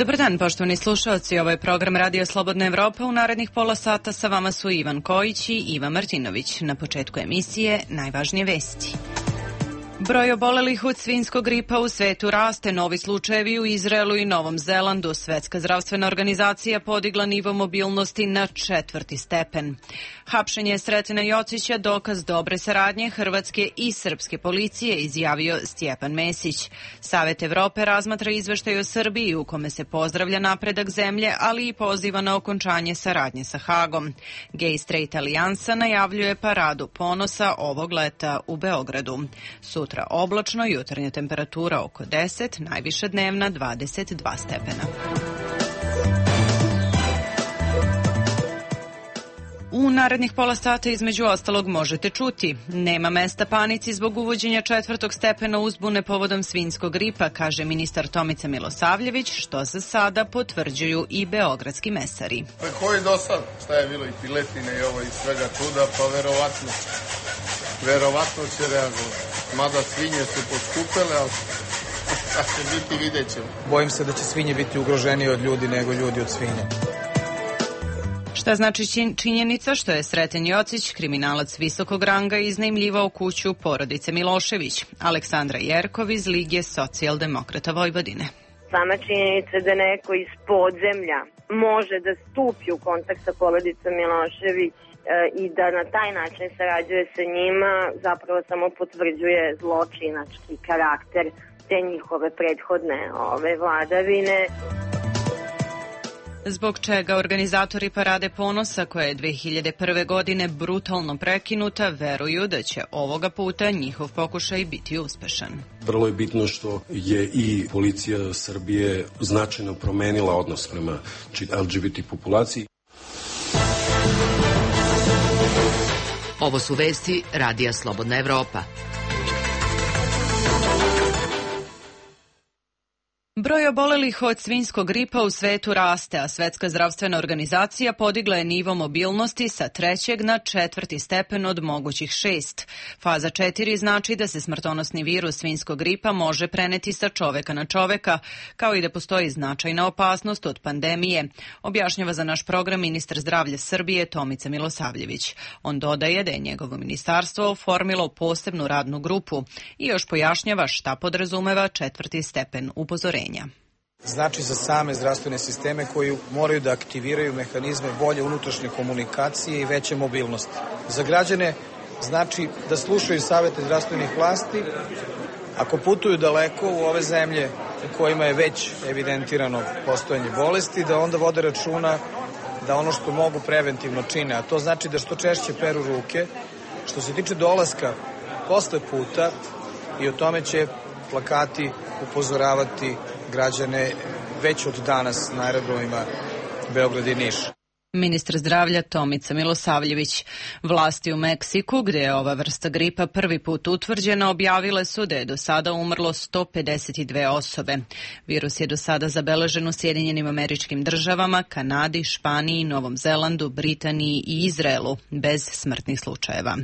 Dobar dan, poštovani slušalci. Ovo je program Radio Slobodna Evropa. U narednih pola sata sa vama su Ivan Kojić i Iva Martinović. Na početku emisije najvažnije vesti. Broj obolelih od svinjskog gripa u svetu raste, novi slučajevi u Izraelu i Novom Zelandu. Svetska zdravstvena organizacija podigla nivo mobilnosti na 4. stepen. Hapšenje Sretena Jocića dokaz dobre saradnje hrvatske i srpske policije, izjavio Stjepan Mesić. Savet Evrope razmatra izveštaj o Srbiji u kome se pozdravlja napredak zemlje, ali i poziva na okončanje saradnje sa Hagom. Gay Straight Alijansa najavljuje paradu ponosa ovog leta u Beogradu. Sutra oblačno, jutarnja temperatura oko 10, najviša dnevna 22 stepena. U narednih pola sata između ostalog možete čuti: nema mesta panici zbog uvođenja 4. stepena uzbune povodom svinjskog gripa, kaže ministar Tomica Milosavljević, što za sada potvrđuju i beogradski mesari. Koji do sad, šta je bilo i piletine i ovo i svega čuda, pa verovatno će reagovati. Mada svinje su poskupele, ali šta će biti, vidjet ćemo. Bojim se da će svinje biti ugroženiji od ljudi nego ljudi od svinja. Šta znači činjenica što je Sreten Jocić, kriminalac visokog ranga, iznajmljivao kuću porodice Milošević? Aleksandra Jerkov iz Lige socijaldemokrata Vojvodine. Sama činjenica da neko iz podzemlja može da stupi u kontakt sa porodicom Milošević i da na taj način sarađuje sa njima, zapravo samo potvrđuje zločinački karakter te njihove prethodne vladavine. Zbog čega organizatori Parade ponosa, koja je 2001. godine brutalno prekinuta, veruju da će ovoga puta njihov pokušaj biti uspešan. Vrlo je bitno što je i policija Srbije značajno promenila odnos prema LGBT populaciji. Ovo su vesti Radija Slobodna Evropa. Broj obolelih od svinjskog gripa u svetu raste, a Svetska zdravstvena organizacija podigla je nivo mobilnosti sa 3. na 4. stepen od mogućih 6. Faza 4 znači da se smrtonosni virus svinjskog gripa može preneti sa čoveka na čoveka, kao i da postoji značajna opasnost od pandemije, objašnjava za naš program ministar zdravlja Srbije Tomica Milosavljević. On dodaje da je njegovo ministarstvo oformilo posebnu radnu grupu i još pojašnjava šta podrazumeva 4. stepen upozorenja. Znači za same zdravstvene sisteme koji moraju da aktiviraju mehanizme bolje unutrašnje komunikacije i veće mobilnosti. Za građane znači da slušaju savete zdravstvenih vlasti, ako putuju daleko u ove zemlje u kojima je već evidentirano postojanje bolesti, da onda vode računa da ono što mogu preventivno čine, a to znači da što češće peru ruke. Što se tiče dolaska posle puta, i o tome će plakati upozoravati građane već od danas na aerodromima Beograd i Niš. Ministar zdravlja Tomica Milosavljević. Vlasti u Meksiku, gde je ova vrsta gripa prvi put utvrđena, objavile su da je do sada umrlo 152 osobe. Virus je do sada zabeležen u Sjedinjenim Američkim Državama, Kanadi, Španiji, Novom Zelandu, Britaniji i Izraelu, bez smrtnih slučajeva.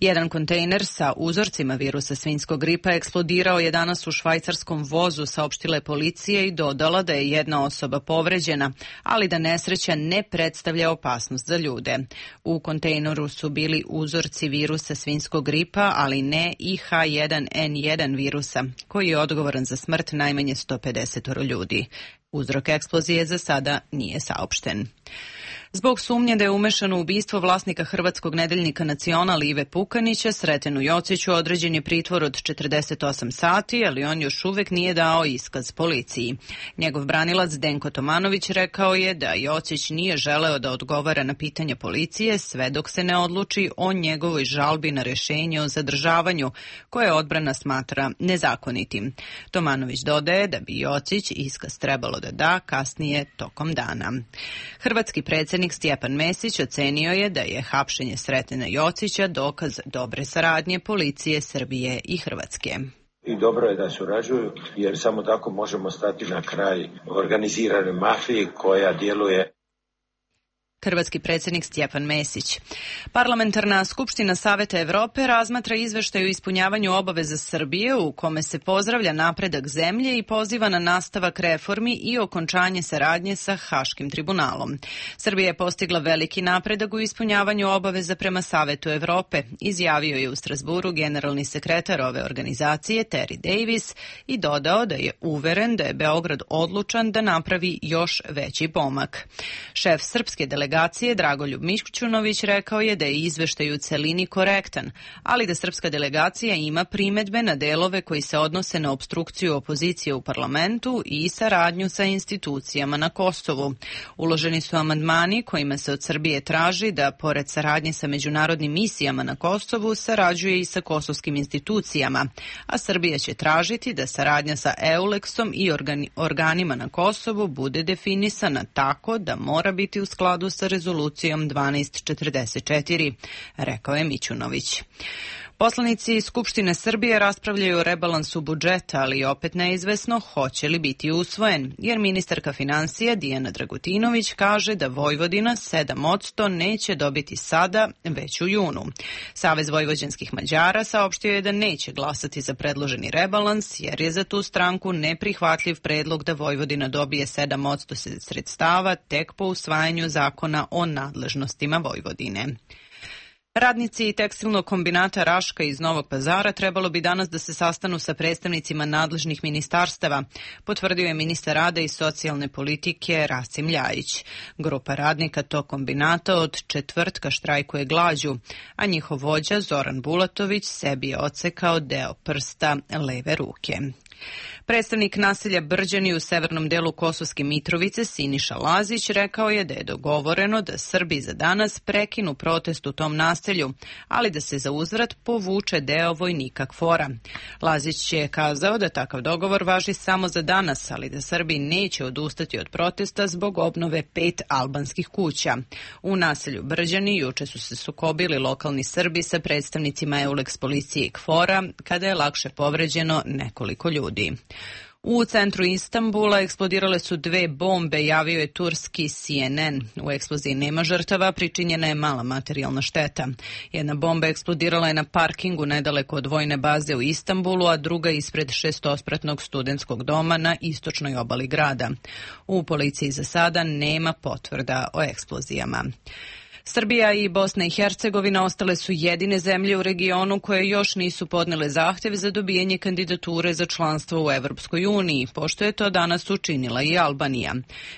Jedan kontejner sa uzorcima virusa svinjskog gripa eksplodirao je danas u švajcarskom vozu, saopštila je policija i dodala da je jedna osoba povređena, ali da nesreća ne predstavlja opasnost za ljude. U kontejneru su bili uzorci virusa svinjskog gripa, ali ne i H1N1 virusa, koji je odgovoran za smrt najmanje 150 ljudi. Uzrok eksplozije za sada nije saopšten. Zbog sumnje da je umešan u ubistvo vlasnika hrvatskog nedeljnika Nacional Ive Pukanića, Sretenu Jociću određen je pritvor od 48 sati, ali on još uvek nije dao iskaz policiji. Njegov branilac Denko Tomanović rekao je da Jocić nije želeo da odgovara na pitanja policije sve dok se ne odluči o njegovoj žalbi na rešenje o zadržavanju, koje odbrana smatra nezakonitim. Tomanović dodaje da bi Jocić iskaz trebalo da da kasnije tokom dana. Hrvatski predsjednik Stjepan Mesić ocenio je da je hapšenje Sretena Jocića dokaz dobre saradnje policije Srbije i Hrvatske. I dobro je da surađuju, jer samo tako možemo stati na kraj organizirane mafije koja djeluje. hrvatski predsjednik Stjepan Mesić. Parlamentarna skupština Saveta Evrope razmatra izveštaj o ispunjavanju obaveza Srbije u kome se pozdravlja napredak zemlje i poziva na nastavak reformi i okončanje saradnje sa Haškim tribunalom. Srbija je postigla veliki napredak u ispunjavanju obaveza prema Savetu Evrope, izjavio je u Strasburu generalni sekretar ove organizacije Terry Davis i dodao da je uveren da je Beograd odlučan da napravi još veći pomak. Šef srpske delegacije Dragoljub Mićunović rekao je da je izveštaj u celini korektan, ali da srpska delegacija ima primedbe na delove koji se odnose na opstrukciju opozicije u parlamentu i saradnju sa institucijama na Kosovu. Uloženi su amandmani kojima se od Srbije traži da, pored saradnje sa međunarodnim misijama na Kosovu, sarađuje i sa kosovskim institucijama, a Srbija će tražiti da saradnja sa EULEX-om i organima na Kosovu bude definisana tako da mora biti u skladu sa rezolucijom 1244, rekao je Mićunović. Poslanici Skupštine Srbije raspravljaju o rebalansu budžeta, ali opet neizvesno hoće li biti usvojen, jer ministarka finansija Dijana Dragutinović kaže da Vojvodina 7% neće dobiti sada, već u junu. Savez vojvođanskih Mađara saopštio je da neće glasati za predloženi rebalans, jer je za tu stranku neprihvatljiv predlog da Vojvodina dobije 7% sredstava tek po usvajanju zakona o nadležnostima Vojvodine. Radnici tekstilnog kombinata Raška iz Novog Pazara trebalo bi danas da se sastanu sa predstavnicima nadležnih ministarstava, potvrdio je ministar rada i socijalne politike Rasim Ljajić. Grupa radnika tog kombinata od četvrtka štrajkuje glađu, a njihov vođa Zoran Bulatović sebi je odsekao deo prsta leve ruke. Predstavnik naselja Brđani u severnom delu Kosovske Mitrovice Siniša Lazić rekao je da je dogovoreno da Srbi za danas prekinu protest u tom naselju, ali da se za uzvrat povuče deo vojnika KFOR-a. Lazić je kazao da takav dogovor važi samo za danas, ali da Srbi neće odustati od protesta zbog obnove 5 albanskih kuća. U naselju Brđani juče su se sukobili lokalni Srbi sa predstavnicima EULEX policije i KFOR-a kada je lakše povređeno nekoliko ljudi. U centru Istanbula eksplodirale su 2 bombe, javio je turski CNN. U eksploziji nema žrtava, pričinjena je mala materijalna šteta. Jedna bomba eksplodirala je na parkingu nedaleko od vojne baze u Istanbulu, a druga ispred 6-spratnog studentskog doma na istočnoj obali grada. U policiji za sada nema potvrda o eksplozijama. Srbija i Bosna i Hercegovina ostale su jedine zemlje u regionu koje još nisu podnele zahtev za dobijanje kandidature za članstvo u Evropskoj uniji, pošto je to danas učinila i Albanija.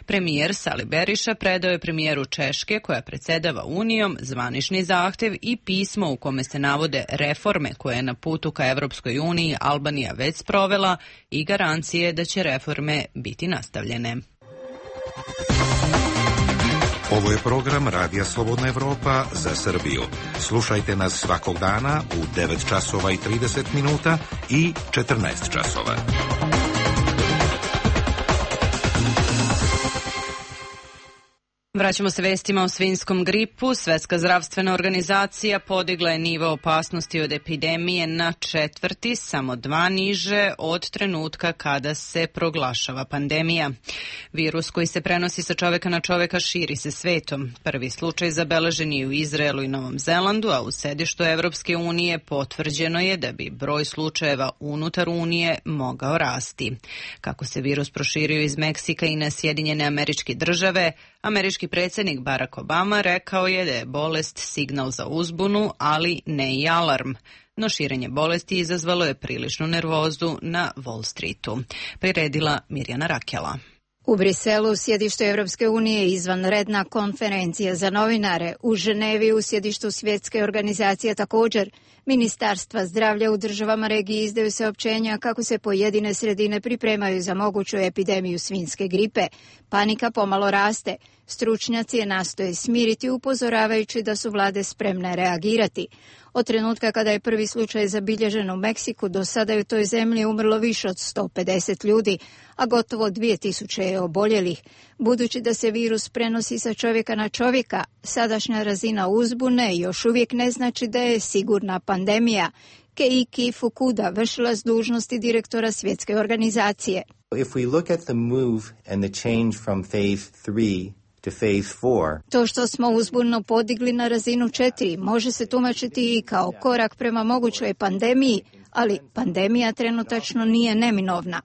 Premijer Sali Beriša predao je premijeru Češke, koja predsedava Unijom, zvanični zahtev i pismo u kome se navode reforme koje je na putu ka Evropskoj uniji Albanija već sprovela i garancije da će reforme biti nastavljene. Ovo je program Radija Slobodna Evropa za Srbiju. Slušajte nas svakog dana u 9 časova i 30 minuta i 14 časova. Vraćamo se vestima o svinjskom gripu. Svetska zdravstvena organizacija podigla je nivo opasnosti od epidemije na 4, samo 2 niže od trenutka kada se proglašava pandemija. Virus koji se prenosi sa čoveka na čoveka širi se svetom. Prvi slučaj zabeležen je u Izraelu i Novom Zelandu, a u sedištu Evropske unije potvrđeno je da bi broj slučajeva unutar Unije mogao rasti. Kako se virus proširio iz Meksika i na Sjedinjene Američke Države, američki predsjednik Barack Obama rekao je da je bolest signal za uzbunu, ali ne i alarm. No širenje bolesti izazvalo je priličnu nervozu na Wall Streetu. Priredila Mirjana Rakela. U Briselu, sjedištu Evropske unije, izvanredna konferencija za novinare. U Ženevi, u sjedištu Svjetske organizacije također. Ministarstva zdravlja u državama regije izdaju saopćenja kako se pojedine sredine pripremaju za moguću epidemiju svinjske gripe. Panika pomalo raste. Stručnjaci je nastoje smiriti upozoravajući da su vlade spremne reagirati. Od trenutka kada je prvi slučaj zabilježen u Meksiku, do sada je u toj zemlji umrlo više od 150 ljudi, a gotovo 2000 je oboljelih. Budući da se virus prenosi sa čovjeka na čovjeka, sadašnja razina uzbune još uvijek ne znači da je sigurna pandemija. Keiki Fukuda, vršilac dužnosti direktora Svjetske organizacije. If we look at the move and the change from phase 3 to phase 4. To što smo uzbunu podigli na razinu 4 može se tumačiti i kao korak prema mogućoj pandemiji, ali pandemija trenutačno nije neminovna.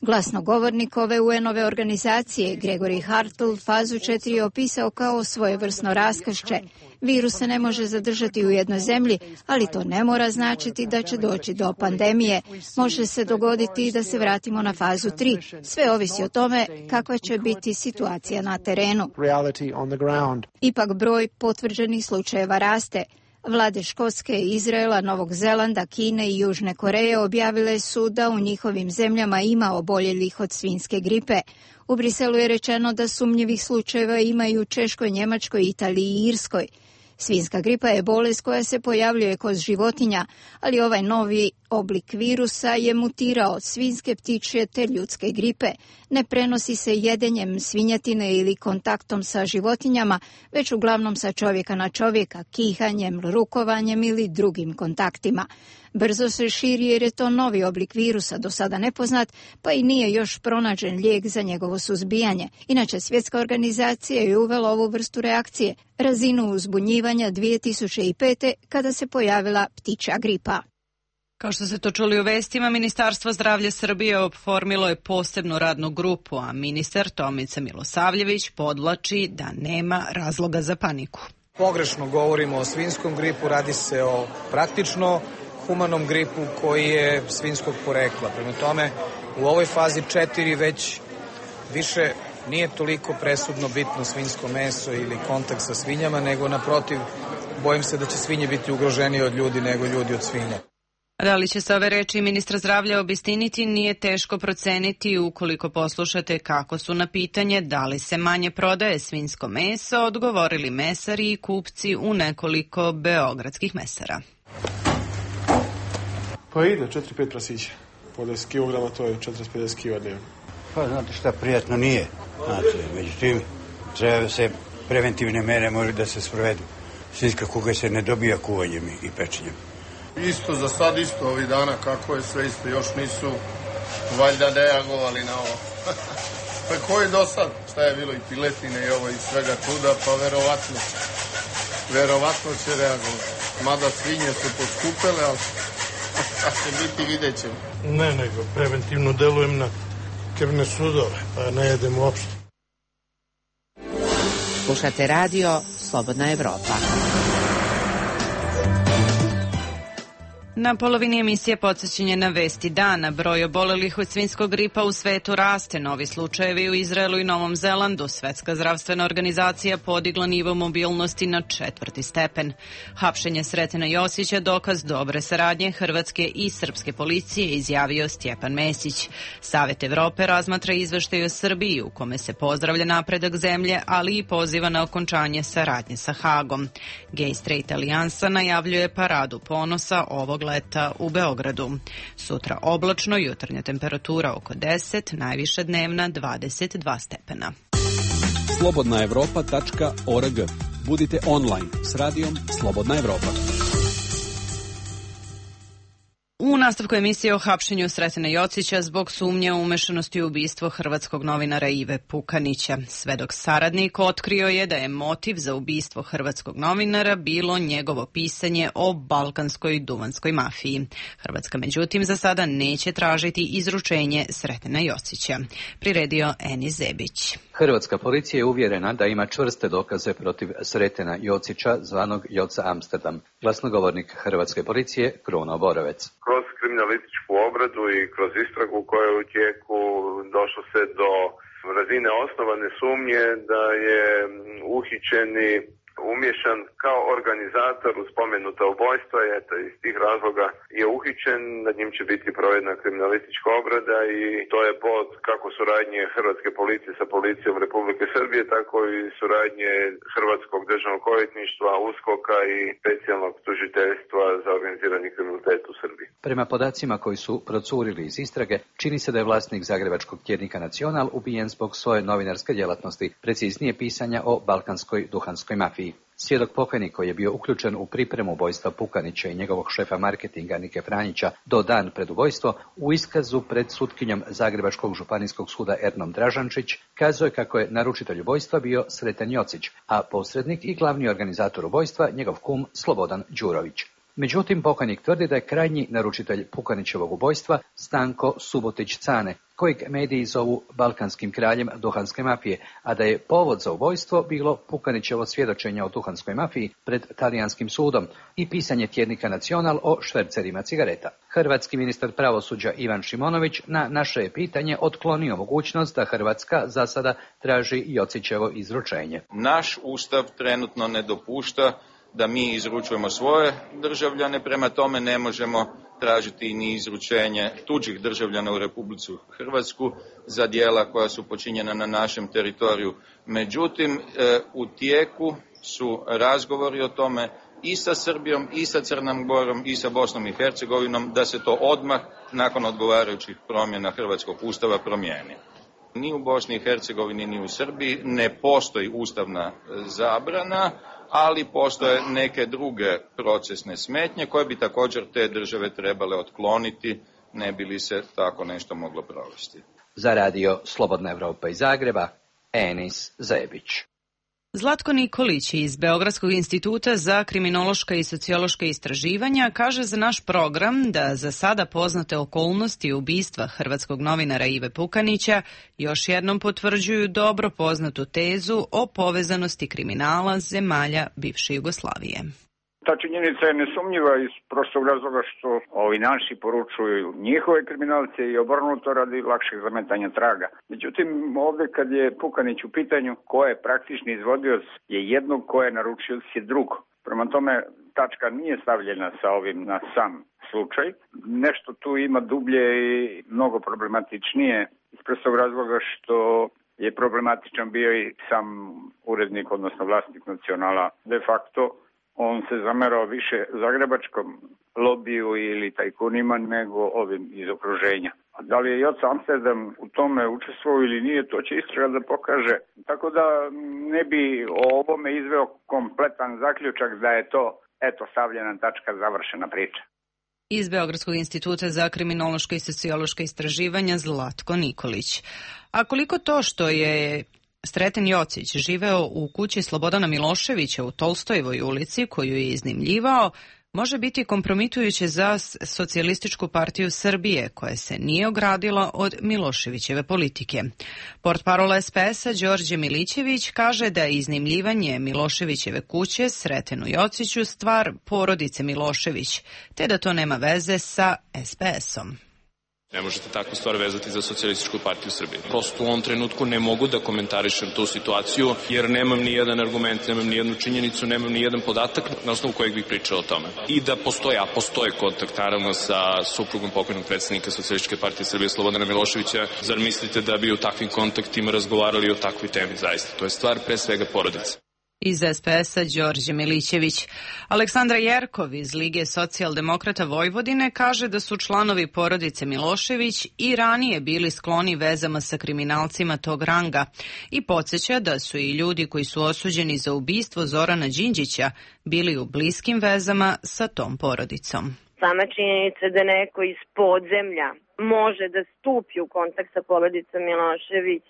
Glasnogovornik ove UN-ove organizacije, Gregory Hartl, fazu 4 je opisao kao svojevrsno raskršće. Virus se ne može zadržati u jednoj zemlji, ali to ne mora značiti da će doći do pandemije. Može se dogoditi da se vratimo na fazu 3. Sve ovisi o tome kakva će biti situacija na terenu. Ipak broj potvrđenih slučajeva raste. Vlade Škotske, Izraela, Novog Zelanda, Kine i Južne Koreje objavile su da u njihovim zemljama ima oboljelih od svinjske gripe. U Briselu je rečeno da sumnjivih slučajeva imaju u Češkoj, Njemačkoj, Italiji i Irskoj. Svinjska gripa je bolest koja se pojavljuje kod životinja, ali ovaj novi oblik virusa je mutirao od svinjske, ptičje te ljudske gripe. Ne prenosi se jedenjem svinjetine ili kontaktom sa životinjama, već uglavnom sa čovjeka na čovjeka, kihanjem, rukovanjem ili drugim kontaktima. Brzo se širi jer je to novi oblik virusa, do sada nepoznat, pa i nije još pronađen lijek za njegovo suzbijanje. Inače, Svjetska organizacija je uvela ovu vrstu reakcije, razinu uzbunjivanja 2005. kada se pojavila ptičja gripa. Kao što ste to čuli u vestima, Ministarstvo zdravlja Srbije oformilo je posebnu radnu grupu, a ministar Tomica Milosavljević podvlači da nema razloga za paniku. Pogrešno govorimo o svinjskom gripu, radi se o praktično humanom gripu koji je svinjskog porekla. Prema tome, u ovoj fazi 4 već više nije toliko presudno bitno svinjsko meso ili kontakt sa svinjama, nego naprotiv, bojim se da će svinje biti ugroženije od ljudi nego ljudi od svinja. Da li će se ove reči ministra zdravlja obistiniti, nije teško proceniti ukoliko poslušate kako su na pitanje da li se manje prodaje svinjsko meso odgovorili mesari i kupci u nekoliko beogradskih mesara. Pa ide 4-5 prasića. Po 10 kilograma to je 40-50 kila dnevno. Pa znate šta, prijatno nije. Znate, međutim, treba se preventivne mere može da se sprovedu. Svinjska kuga se ne dobija kuvanjem i pečenjem. Isto, za sad isto ovih dana, kako je sve isto, još nisu valjda reagovali na ovo. Pa koji do sad, šta je bilo i piletine i ovo i svega tuda, pa verovatno će reagovati. Mada svinje su poskupele, ali šta će biti, vidjet ćemo. Ne, nego preventivno delujem na krvne sudove, pa ne jedem uopšte. Slušate radio Slobodna Evropa. Na polovini emisije podsjećanje na vesti dana. Broj obolelih od svinjskog gripa u svetu raste. Novi slučajevi u Izraelu i Novom Zelandu. Svetska zdravstvena organizacija podigla nivo mobilnosti na 4. stepen. Hapšenje Sretena Josića dokaz dobre saradnje hrvatske i srpske policije, izjavio Stjepan Mesić. Savet Evrope razmatra izveštaj o Srbiji u kome se pozdravlja napredak zemlje, ali i poziva na okončanje saradnje sa Hagom. Gay Straight Alijansa najavljuje paradu ponosa ovog leta u Beogradu. Sutra oblačno, jutarnja temperatura oko 10, najviša dnevna 22 stepena. slobodnaevropa.org. Budite online s radijom Slobodna Evropa. U nastavku emisije o hapšenju Sretena Jocića zbog sumnje u umešanosti u ubistvo hrvatskog novinara Ive Pukanića. Svedok saradnik otkrio je da je motiv za ubistvo hrvatskog novinara bilo njegovo pisanje o balkanskoj duvanskoj mafiji. Hrvatska međutim za sada neće tražiti izručenje Sretena Jocića. Priredio Eni Zebić. Hrvatska policija je uvjerena da ima čvrste dokaze protiv Sretena Jocića, zvanog Joca Amsterdam. Glasnogovornik Hrvatske policije Kruno Borovec. Kroz kriminalističku obradu i kroz istragu koja je u tijeku došlo se do razine osnovane sumnje da je uhićeni umješan kao organizator u spomenuta ubojstva i eto, iz tih razloga je uhićen, nad njim će biti provedena kriminalistička obrada i to je pod kako suradnje Hrvatske policije sa policijom Republike Srbije, tako i suradnje Hrvatskog državnog odvjetništva, USKOK-a i specijalnog tužiteljstva za organizirani kriminalitet u Srbiji. Prema podacima koji su procurili iz istrage, čini se da je vlasnik zagrebačkog tjednika Nacional ubijen zbog svoje novinarske djelatnosti, preciznije pisanja o balkanskoj duhanskoj mafiji. Svjedok pokajnik koji je bio uključen u pripremu ubojstva Pukanića i njegovog šefa marketinga Nike Franjića do dan pred ubojstvo, u iskazu pred sutkinjom Zagrebačkog županijskog suda Ernom Dražančić kazuje kako je naručitelj ubojstva bio Sreten Jocić, a posrednik i glavni organizator ubojstva njegov kum Slobodan Đurović. Međutim, pokajnik tvrdi da je krajnji naručitelj Pukanićevog ubojstva Stanko Subotić-Cane, kojeg mediji zovu balkanskim kraljem duhanske mafije, a da je povod za ubojstvo bilo Pukanićevo svjedočenje o duhanskoj mafiji pred talijanskim sudom i pisanje tjednika Nacional o švercerima cigareta. Hrvatski ministar pravosuđa Ivan Šimonović na naše je pitanje otklonio mogućnost da Hrvatska za sada traži Jocićevo izručenje. Naš ustav trenutno ne dopušta da mi izručujemo svoje državljane, prema tome ne možemo tražiti ni izručenje tuđih državljana u Republiku Hrvatsku za djela koja su počinjena na našem teritoriju. Međutim, u tijeku su razgovori o tome i sa Srbijom, i sa Crnom Gorom, i sa Bosnom i Hercegovinom, da se to odmah, nakon odgovarajućih promjena Hrvatskog ustava, promijeni. Ni u Bosni i Hercegovini, ni u Srbiji ne postoji ustavna zabrana, ali postoje neke druge procesne smetnje koje bi također te države trebale otkloniti, ne bi li se tako nešto moglo provesti. Za radio Slobodna Evropa iz Zagreba, Enis Zebić. Zlatko Nikolić iz Beogradskog instituta za kriminološka i sociološka istraživanja kaže za naš program da za sada poznate okolnosti ubistva hrvatskog novinara Ive Pukanića još jednom potvrđuju dobro poznatu tezu o povezanosti kriminala zemalja bivše Jugoslavije. Ta činjenica je nesumnjiva iz prostog razloga što ovi naši poručuju njihove kriminalce i obrnuto radi lakšeg zametanja traga. Međutim, ovdje kad je Pukanić u pitanju, ko je praktični izvodioc je jednog, ko je naručioc je drugo. Prema tome, tačka nije stavljena sa ovim na sam slučaj. Nešto tu ima dublje i mnogo problematičnije iz prostog razloga što je problematičan bio i sam urednik, odnosno vlasnik Nacionala. De facto, on se zamerao više zagrebačkom lobiju ili tajkunima nego ovim iz okruženja. A da li je Joca Amsterdam u tome učestvovao ili nije, to će istraga da pokaže. Tako da ne bi o ovome izveo kompletan zaključak da je to, eto, stavljena tačka, završena priča. Iz Beogradskog instituta za kriminološka i sociološka istraživanja Zlatko Nikolić. A koliko to što je Sreten Jocić živeo u kući Slobodana Miloševića u Tolstojevoj ulici, koju je iznajmljivao, može biti kompromitujuće za Socijalističku partiju Srbije, koja se nije ogradila od Miloševićeve politike. Portparol SPS-a Đorđe Milićević kaže da je iznajmljivanje Miloševićeve kuće Sretenu Jociću stvar porodice Milošević, te da to nema veze sa SPS-om. Ne možete takvu stvar vezati za Socijalističku partiju Srbije. Prosto u ovom trenutku ne mogu da komentarišem tu situaciju, jer nemam ni jedan argument, nemam ni jednu činjenicu, nemam ni jedan podatak na osnovu kojeg bih pričao o tome. I da postoje kontakt naravno sa suprugom pokojnog predsjednika Socijalističke partije Srbije Slobodana Miloševića. Zar mislite da bi u takvim kontaktima razgovarali o takvoj temi zaista? To je stvar pre svega porodice. Iz SPS-a Đorđe Milićević. Aleksandra Jerkov iz Lige socijaldemokrata Vojvodine kaže da su članovi porodice Milošević i ranije bili skloni vezama sa kriminalcima tog ranga i podsjeća da su i ljudi koji su osuđeni za ubistvo Zorana Đinđića bili u bliskim vezama sa tom porodicom. Sama činjenica da neko iz podzemlja može da stupi u kontakt sa porodicom Milošević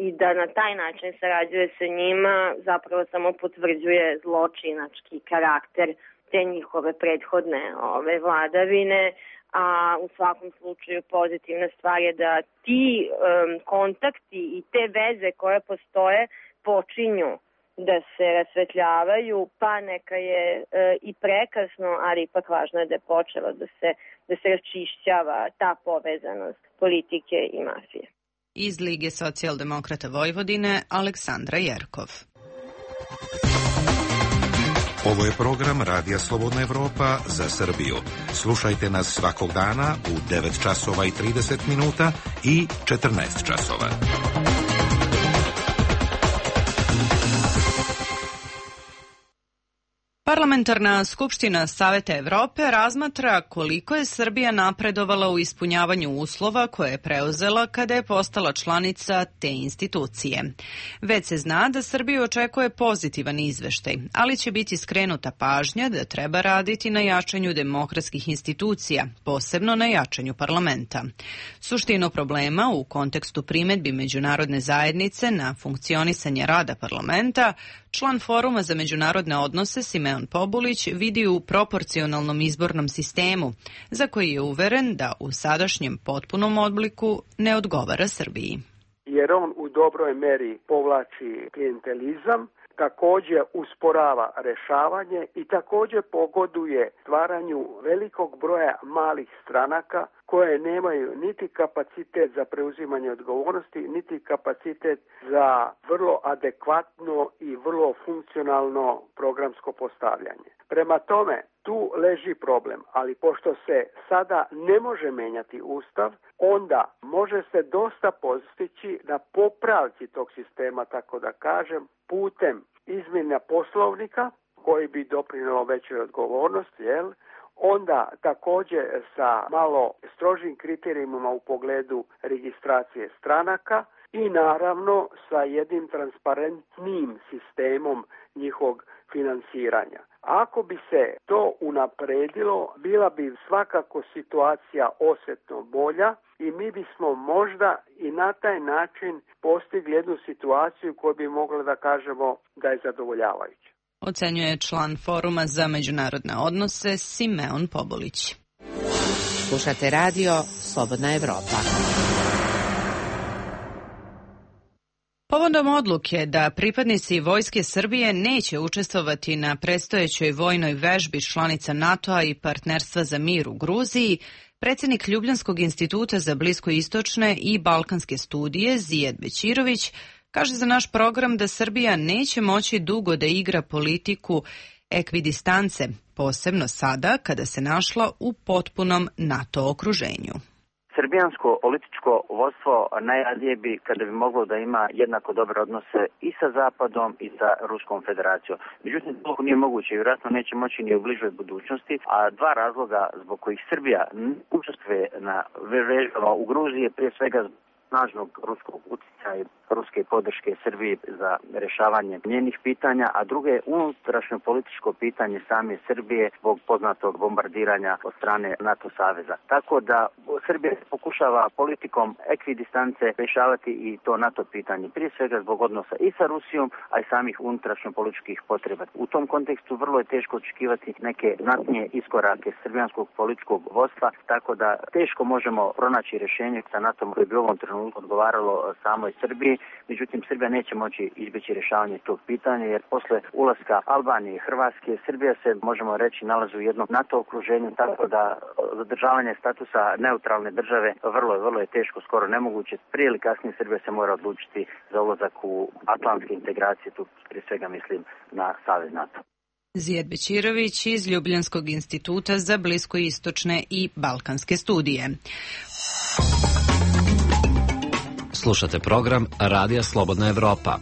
i da na taj način sarađuje sa njima, zapravo samo potvrđuje zločinački karakter te njihove prethodne vladavine, a u svakom slučaju pozitivna stvar je da ti kontakti i te veze koje postoje počinju da se rasvetljavaju, pa neka je i prekasno, ali ipak važno je da je počelo da se raščišćava ta povezanost politike i mafije. Iz Lige socijaldemokrata Vojvodine Aleksandra Jerkov. Ovo je program Radija Slobodna Evropa za Srbiju. Slušajte nas svakog dana u 9 časova i 30 minuta i 14 časova. Parlamentarna skupština Saveta Evrope razmatra koliko je Srbija napredovala u ispunjavanju uslova koje je preuzela kada je postala članica te institucije. Već se zna da Srbiju očekuje pozitivan izveštaj, ali će biti skrenuta pažnja da treba raditi na jačanju demokratskih institucija, posebno na jačanju parlamenta. Suštinu problema u kontekstu primedbi međunarodne zajednice na funkcionisanje rada parlamenta član Foruma za međunarodne odnose Simeon Pobulić vidi u proporcionalnom izbornom sistemu, za koji je uveren da u sadašnjem potpunom obliku ne odgovara Srbiji. Jer on u dobroj meri povlači klijentelizam, također usporava rešavanje i također pogoduje stvaranju velikog broja malih stranaka koje nemaju niti kapacitet za preuzimanje odgovornosti, niti kapacitet za vrlo adekvatno i vrlo funkcionalno programsko postavljanje. Prema tome, tu leži problem, ali pošto se sada ne može menjati Ustav, onda može se dosta postići na popravci tog sistema, tako da kažem, putem izmjena poslovnika koji bi doprinelo većoj odgovornosti, onda također sa malo strožim kriterijima u pogledu registracije stranaka i naravno sa jednim transparentnim sistemom njihovog finansiranja. Ako bi se to unapredilo, bila bi svakako situacija osjetno bolja i mi bismo možda i na taj način postigli jednu situaciju koju bi mogli da kažemo da je zadovoljavajuća. Ocenjuje član Foruma za međunarodne odnose Simeon Pobulić. Slušate radio Slobodna Evropa. Povodom odluke da pripadnici Vojske Srbije neće učestvovati na predstojećoj vojnoj vežbi članica NATO-a i Partnerstva za mir u Gruziji, predsjednik Ljubljanskog instituta za bliskoistočne i balkanske studije Zijed Bećirović kaže za naš program da Srbija neće moći dugo da igra politiku ekvidistance, posebno sada kada se našla u potpunom NATO okruženju. Srbijansko političko vodstvo najradije bi kada bi moglo da ima jednako dobre odnose i sa Zapadom i sa Ruskom federacijom. Međutim, to nije moguće i vjerojatno neće moći ni u bližoj budućnosti, a dva razloga zbog kojih Srbija učestvuje na vežbama u Gruziji, prije svega snažnog ruskog utjecaja i ruske podrške Srbiji za rješavanje njenih pitanja, a drugo je unutrašnjo političko pitanje same Srbije zbog poznatog bombardiranja od strane NATO saveza. Tako da Srbija pokušava politikom ekvidistance rješavati i to NATO pitanje, prije svega zbog odnosa i sa Rusijom, a i samih unutrašnjo političkih potreba. U tom kontekstu vrlo je teško očekivati neke znatnije iskorake srbijanskog političkog vodstva, tako da teško možemo pronaći rješenje sa NATO koje bi u ovom trenutku odgovaralo samoj Srbiji. Međutim, Srbija neće moći izbjeći rješavanje tog pitanja, jer posle ulaska Albanije i Hrvatske, Srbija se, možemo reći, nalazi u jednom NATO okruženju, tako da zadržavanje statusa neutralne države vrlo je teško, skoro nemoguće. Prije ili kasnije Srbija se mora odlučiti za ulazak u atlantske integracije, tu prije svega mislim na Savez NATO. Zijed Bećirović iz Ljubljanskog instituta za bliskoistočne i balkanske studije. Slušate program Radija Slobodna Evropa.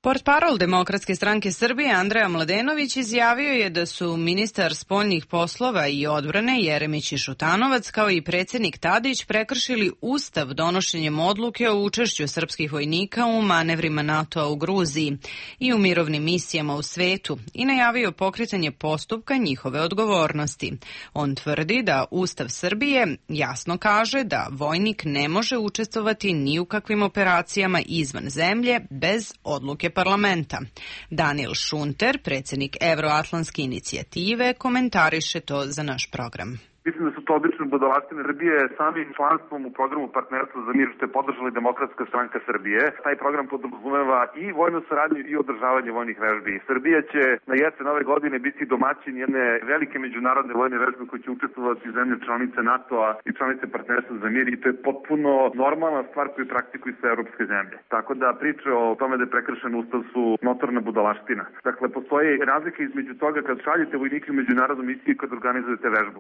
Portparol Demokratske stranke Srbije Andreja Mladenović izjavio je da su ministar spoljnih poslova i odbrane Jeremić i Šutanovac kao i predsjednik Tadić prekršili Ustav donošenjem odluke o učešću srpskih vojnika u manevrima NATO-a u Gruziji i u mirovnim misijama u svetu i najavio pokretanje postupka njihove odgovornosti. On tvrdi da Ustav Srbije jasno kaže da vojnik ne može učestvovati ni u kakvim operacijama izvan zemlje bez odluke parlamenta. Daniel Šunter, predsjednik Evroatlantske inicijative, komentariše to za naš program. Mislim da su to obične budalaštine Srbije samim članstvom u programu Partnerstva za mir što je podržala Demokratska stranka Srbije. Taj program podrazumeva i vojnu saradnju i održavanje vojnih vežbi. Srbija će na jesen ove godine biti domaćin jedne velike međunarodne vojne vežbe koje će učestvovati zemlje članice NATO-a i članice Partnerstva za mir i to je potpuno normalna stvar koju praktikuju sve europske zemlje. Tako da priče o tome da je prekršen ustav su notorna budalaština. Dakle, postoji razlika između toga kad šaljete vojnike u međunarodnu misiju i kad organizujete vežbu.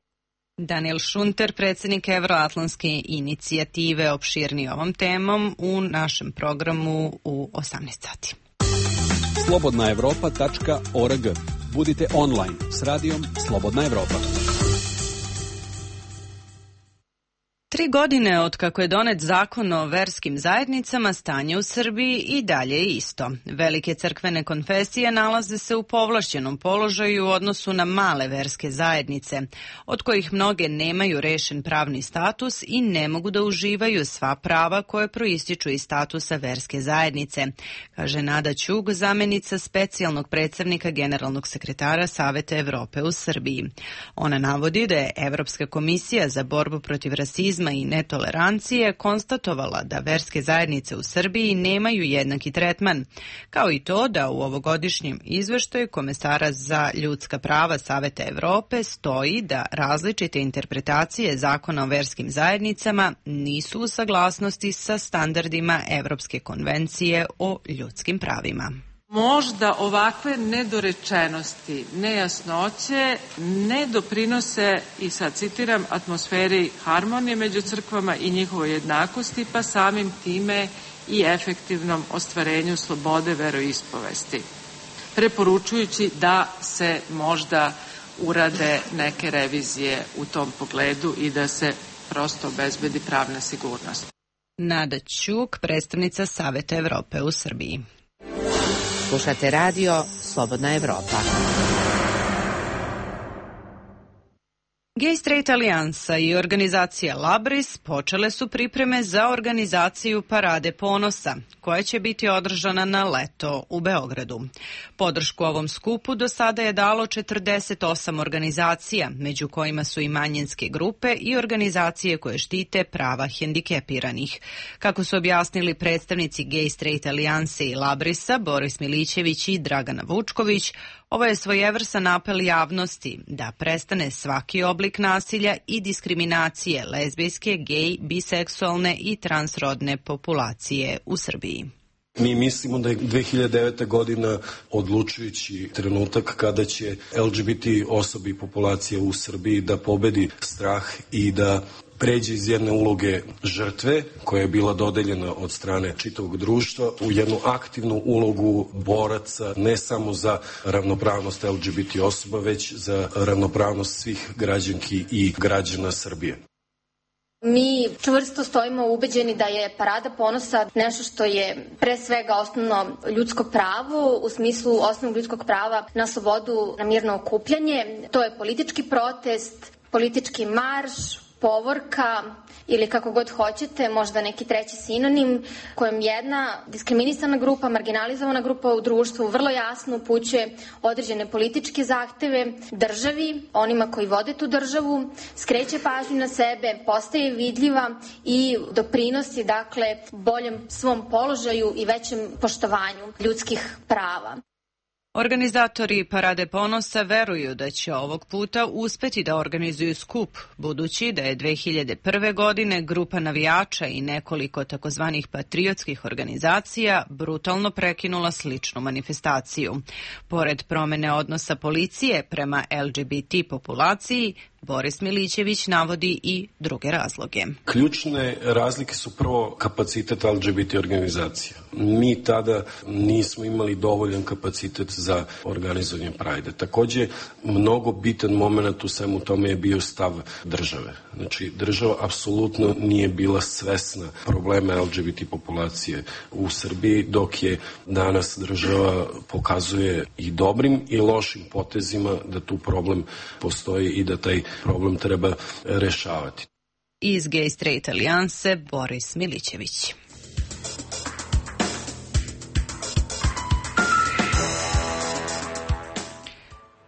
Daniel Šunter, predsjednik Evroatlantske inicijative, opširni ovom temom u našem programu u 18 sati. slobodnaevropa.org. Budite online s radijom Slobodna Evropa. 3 godine od kako je donet zakon o verskim zajednicama, stanje u Srbiji i dalje je isto. Velike crkvene konfesije nalaze se u povlašćenom položaju u odnosu na male verske zajednice, od kojih mnoge nemaju rešen pravni status i ne mogu da uživaju sva prava koje proističu iz statusa verske zajednice, kaže Nada Ćug, zamenica specijalnog predstavnika generalnog sekretara Saveta Evrope u Srbiji. Ona navodi da je Evropska komisija za borbu protiv rasizma i netolerancije konstatovala da verske zajednice u Srbiji nemaju jednaki tretman, kao i to da u ovogodišnjem izveštaju komesara za ljudska prava Saveta Evrope stoji da različite interpretacije zakona o verskim zajednicama nisu u saglasnosti sa standardima Evropske konvencije o ljudskim pravima. Možda ovakve nedorečenosti, nejasnoće ne doprinose, i sad citiram, atmosferi harmonije među crkvama i njihovoj jednakosti, pa samim time i efektivnom ostvarenju slobode veroispovesti, preporučujući da se možda urade neke revizije u tom pogledu i da se prosto obezbedi pravna sigurnost. Nada Ćuk, predstavnica Saveta Evrope u Srbiji. Slušate radio Slobodna Evropa. Gay Straight Alijansa i organizacija Labris počele su pripreme za organizaciju Parade ponosa, koja će biti održana na leto u Beogradu. Podršku ovom skupu do sada je dalo 48 organizacija, među kojima su i manjinske grupe i organizacije koje štite prava hendikepiranih. Kako su objasnili predstavnici Gay Straight Alijanse i Labrisa, Boris Milićević i Dragana Vučković, ovo je svojevrsan apel javnosti da prestane svaki oblik nasilja i diskriminacije lezbijske, gej, biseksualne i transrodne populacije u Srbiji. Mi mislimo da je 2009. godina odlučujući trenutak kada će LGBT osobi i populacija u Srbiji da pobedi strah i da pređe iz jedne uloge žrtve, koja je bila dodeljena od strane čitavog društva, u jednu aktivnu ulogu boraca, ne samo za ravnopravnost LGBT osoba, već za ravnopravnost svih građanki i građana Srbije. Mi čvrsto stojimo ubeđeni da je Parada ponosa nešto što je pre svega osnovno ljudsko pravo, u smislu osnovnog ljudskog prava na slobodu, na mirno okupljanje. To je politički protest, politički marš, povorka ili kako god hoćete, možda neki treći sinonim, kojem jedna diskriminisana grupa, marginalizovana grupa u društvu vrlo jasno upućuje određene političke zahteve državi, onima koji vode tu državu, skreće pažnju na sebe, postaje vidljiva i doprinosi, dakle, boljem svom položaju i većem poštovanju ljudskih prava. Organizatori Parade ponosa veruju da će ovog puta uspeti da organizuju skup, budući da je 2001. godine grupa navijača i nekoliko takozvanih patriotskih organizacija brutalno prekinula sličnu manifestaciju. Pored promene odnosa policije prema LGBT populaciji, Boris Milićević navodi i druge razloge. Ključne razlike su prvo kapacitet LGBT organizacija. Mi tada nismo imali dovoljan kapacitet za organizovanje Pride. Takođe, mnogo bitan moment u svemu tome je bio stav države. Znači, država apsolutno nije bila svesna problema LGBT populacije u Srbiji, dok je danas država pokazuje i dobrim i lošim potezima da tu problem postoji i da taj problem treba rešavati. Iz Gay Straight Alijanse, Boris Milićević.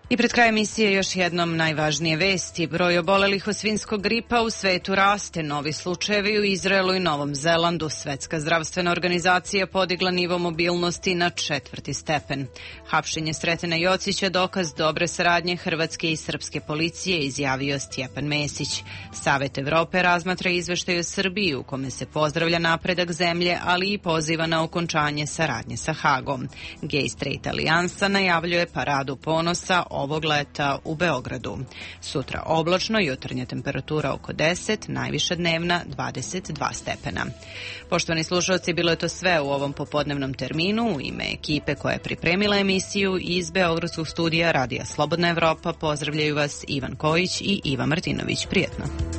I pred kraj emisije još jednom najvažnije vesti. Broj obolelih od svinjskog gripa u svetu raste. Novi slučajevi u Izraelu i Novom Zelandu. Svetska zdravstvena organizacija podigla nivo mobilnosti na 4. stepen. Hapšenje Sretena Jocića dokaz dobre saradnje hrvatske i srpske policije, izjavio Stjepan Mesić. Savet Evrope razmatra izveštaj o Srbiji u kome se pozdravlja napredak zemlje, ali i poziva na okončanje saradnje sa Hagom. Gay Straight Alijansa najavljuje Paradu ponosa ovog leta u Beogradu. Sutra oblačno, jutarnja temperatura oko 10, najviša dnevna 22 stepena. Poštovani slušalci, bilo je to sve u ovom popodnevnom terminu. U ime ekipe koja je pripremila emisiju iz Beogradskog studija Radija Slobodna Evropa pozdravljaju vas Ivan Kojić i Iva Martinović. Prijetno.